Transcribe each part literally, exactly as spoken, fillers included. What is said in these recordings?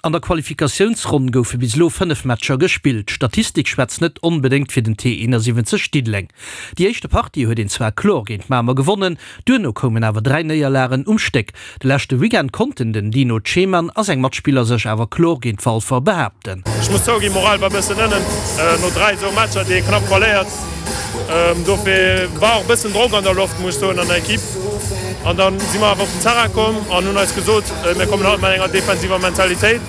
An der Qualifikatiounsronn goufe bis elo fënnef Matcher gespillt. D'Statistik schwätzt net onbedéngt fir den T eenasiwwenzeg Diddeleng. Déi éischte Partie huet een zwar kloer géint Mamer gewonnen, duerno koumen awer dräi Néierlagen um Stéck. De leschte Weekend konnten den Dino Ceman a seng Matspiller sech awer kloer géint Walfer behaapten. Ech muss zouginn, d'Moral war bëssen ënnen no dräi esou Matcher, déi ee knapp verléiert. Dofir war och bëssen Drock an der Loft, muss ech soen, an der Ekipp. An da si mer awer op den Terrain komm an hunn eis gesot, mir kommen haut mat enger defensiver Mentalitéit.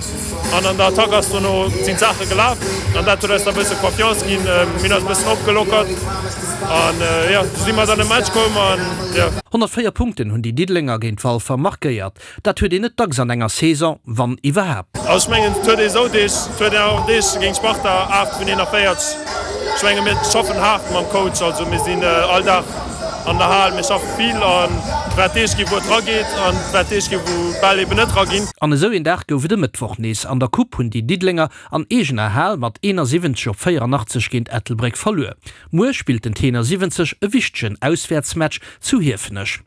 An an der Attack ass dono sinn d'Saache gelaf an dat huet eis da bësse Confiance ginn. Mir hunn eis e bëssen opgelockert an jo, sou si mer dann e Match komm an jo. honnertvéier Punkten hunn déi Diddelenger géint Walfer markéiert. Dat huet een net dacks an enger Saison, wann iwwerhaapt. Also ech mengen, et huet ee sou Deeg, et huet een awer och Deeg géint Sparta, aacht vun eenanvéierzeg. Ech menge mir schaffen haart mam Coach, also mir sinn all Dag an der Hal, mir schaffe vill an et wäert Deeg ginn, wou et rageet an et wäert Deeg ginn, wou d'Bäll eben net raginn. An esou een Dag gouf et e Mëttwoch nees. An der Coupe hunn déi Diddelenger an eegener Hal mat eenasiwwenzeg op véierannachtzeg géint Ettelbréck verluer. Muer spillt den Tenor siwwenzeg e wichtegen Auswäertsmatch zu Hiefenech.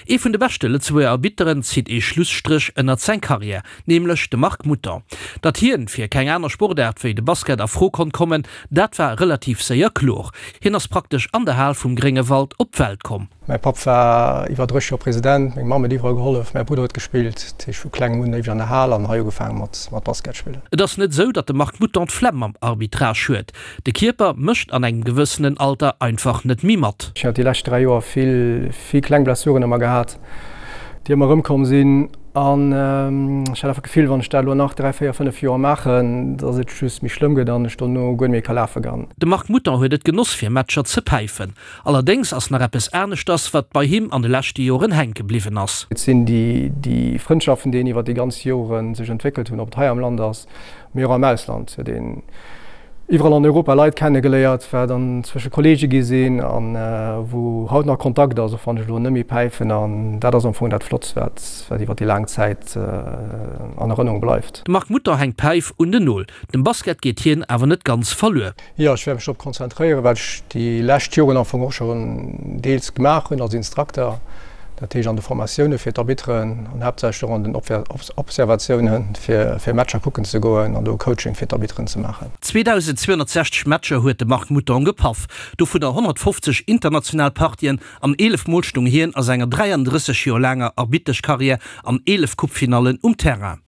Ee vun de beschte Lëtzebuerger Arbitteren zitt ee Schlusstréch ënnert seng Karriär, nämlech de Marc Mouton. Datt hien fir keng aner Sportaart wéi de Basket a Fro konnt kommen, dat war relativ séier kloer. Hien ass praktesch an der Hal vum Gréngewald op d'Welt komm. Mäi Papp war iwwer dréisseg Joer President, meng Mamm huet iwwerall gehollef, mäi Brudder huet gespillt. Dat heescht vu klengem un éiweg an der Hal an hei ugefaange mat mat Basket spillen. Et ass net esou, datt de Marc Mouton d'Flemm mam Arbitrage huet. De Kierper mécht an engem gewëssenen Alter einfach net méi mat. Ech hat déi lescht dräi Joer vill vill kleng Blessuren ëmmer gehat, déi ëmmer erëmkomm sinn. An ech hat einfach d'Gefill, wann ech dat elo nach dräi, véier, fënnef Joer maachen, datt et just méi schlëmm gëtt an ech dono guer net méi ka lafe gan. De Marc Mouton huet et genoss fir Matcher ze päifen. Allerdéngs ass nach eppes aneschters, wat bei him an de leschte Joren hänke bliwwen ass. Et sinn déi Frëndschaften, déi een iwwer déi ganz Jore sech entwéckelt hunn, ob et hei am Land ass, mee och am Ausland. Huet een iwwerall an Europa Leit kennegeléiert, wat an zwësche Kollege gi sinn an wou haut nach Kontakt ass, och wann ech elo net méi päifen. An dat ass am Fong dat Flottst, wat wat iwwer déi laang Zäit an Erënnerung bleift. De Marc Mouton hänkt d'Päif un den Nol. Dem Basket geet hien awer net ganz verluer. Jo, ech wäert mech drop konzentréieren, wat ech déi lescht Joren am Fong och schonn deels gemaach hunn als Instrukter. Dat heescht an de Formatioune fir d'Arbitteren an haaptsächlech och an den Observatioune fir Matcher kucken ze goen an do Coaching fir d'Arbitteren ze maachen. zweedausendzweehonnertsechzeg Matcher huet de Marc Mouton gepaff, dovunner honnertfofzeg international Partien an eelef Mol stoung hien a senger dräiandrësseg Joer laanger Arbitteschkarriär an eelef Coupefinallen um Terrain.